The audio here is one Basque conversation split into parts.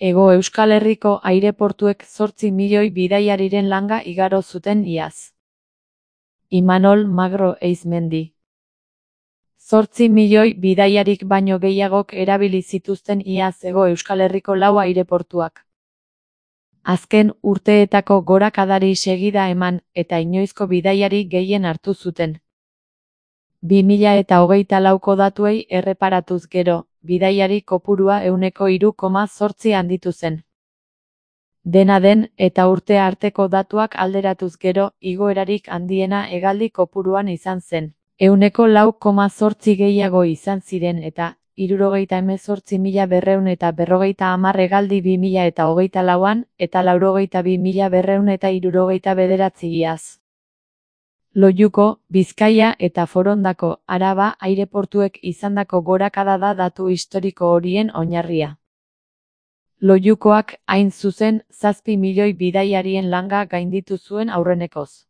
Hego Euskal Herriko aireportuek 8 milioi bidaiariren langa igaro zuten iaz. Imanol Magro Eizmendi. 8 milioi bidaiarik baino gehiagok erabili zituzten iaz Hego Euskal Herriko 4 aireportuak. Azken urteetako gorakadari segida eman eta inoizko bidaiari gehien hartu zuten. 2024ko datuei erreparatuz gero, bidaiari kopurua 3,8 handitu zen. Dena den, eta urte arteko datuak alderatuz gero, igoerarik handiena hegaldi kopuruan izan zen. 4,8 gehiago izan ziren eta 78.250 hegaldi 2024an eta 82.279 iaz. Loiuko, Bizkaia eta Forondako, Araba aireportuek izandako gorakada da datu historiko horien oinarria. Loiukoak, hain zuzen, 7 milioi bidaiarien langa gainditu zuen aurrenekoz.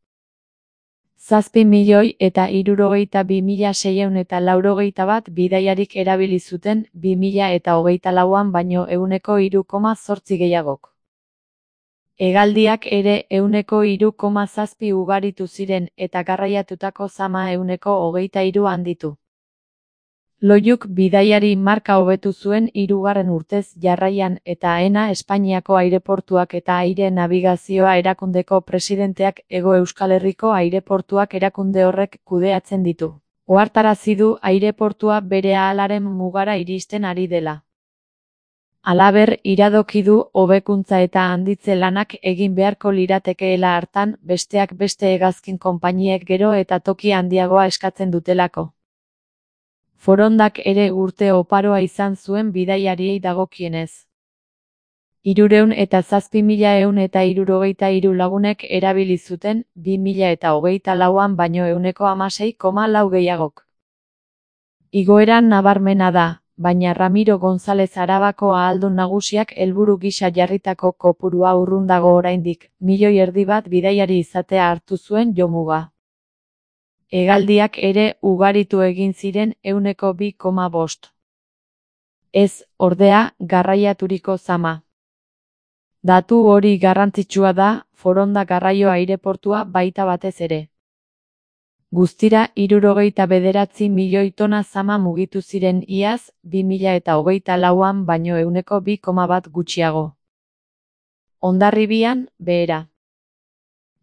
7 milioi eta 62.681 bidaiarik erabili zuten 2024an baino 3,8 gehiagok. Hegaldiak ere 3,7 ugaritu ziren eta garraiatutako zama 23 handitu. Loiuk bidaiari marka hobetu zuen 3. urtez jarraian eta AENA Espainiako aireportuak eta aire nabigazioa erakundeko presidenteak Hego Euskal Herriko aireportuak erakunde horrek kudeatzen ditu. Ohartarazi du aireportua bere ahalaren mugara iristen ari dela. Halaber, iradoki du hobekuntza eta handitze lanak egin beharko liratekeela hartan, besteak beste hegazkin konpainiek gero eta toki handiagoa eskatzen dutelako. Forondak ere urte oparoa izan zuen bidaiariei dagokienez. 307.163 lagunek erabili zuten 2024an baino 16,4 gehiagok. Igoera nabarmena da, baina Ramiro González Arabako ahaldun nagusiak helburu gisa jarritako kopurua urrun dago oraindik, 1,5 milioi bidaiari izatea hartu zuen jomuga. Hegaldiak ere ugaritu egin ziren 2,5. Ez, ordea, garraiaturiko zama. Datu hori garrantzitsua da, Foronda garraio aireportua baita batez ere. Guztira 69 milioi tona zama mugitu ziren iaz, 2024an baino 2,1 gutxiago. Hondarribian, behera.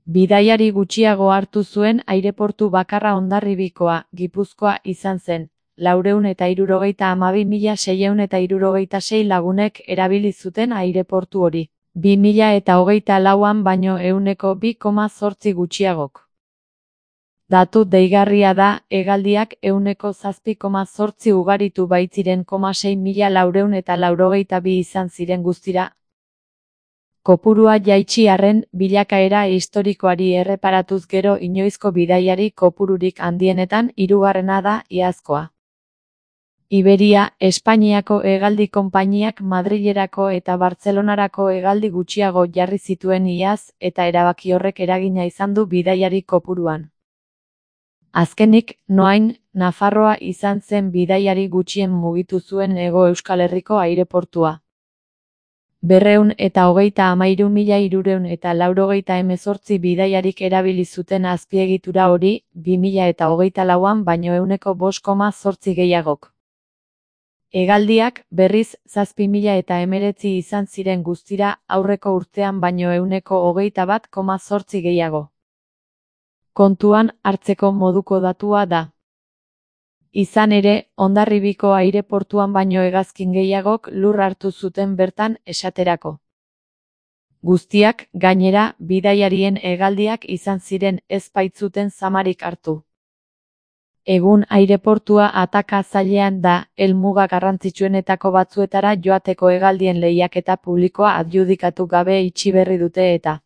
Bidaiari gutxiago hartu zuen aireportu bakarra Hondarribikoa, Gipuzkoa izan zen, 432.666 lagunek erabili zuten aireportu hori, 2024an baino 2,8 gutxiagok. Datu deigarria da, hegaldiak 7,8 ugaritu baitziren 6.482 izan ziren guztira. Kopurua jaitsi arren, bilakaera historikoari erreparatuz gero inoizko bidaiari kopururik handienetan 3. da iazkoa. Iberia, Espainiako hegaldi konpainiak Madrilerako eta Bartzelonarako hegaldi gutxiago jarri zituen iaz eta erabaki horrek eragina izan du bidaiari kopuruan. Azkenik, Noain, Nafarroa izan zen bidaiari gutxien mugitu zuen Hego Euskal Herriko aireportua. 233.318 bidaiarik erabili zuten azpiegitura hori, 2024an baino 5,8 gehiagok. Hegaldiak, berriz, 7.019 izan ziren guztira, aurreko urtean baino 121,8 gehiago. Kontuan hartzeko moduko datua da. Izan ere, Hondarribiko aireportuan baino hegazkin gehiagok lur hartu zuten bertan esaterako. Guztiak, gainera, bidaiarien hegaldiak izan ziren ez baitzuten zamarik hartu. Egun aireportua ataka zailean da, helmuga garrantzitsuenetako batzuetara joateko hegaldien lehiaketa publikoa adjudikatu gabe itxi berri dute eta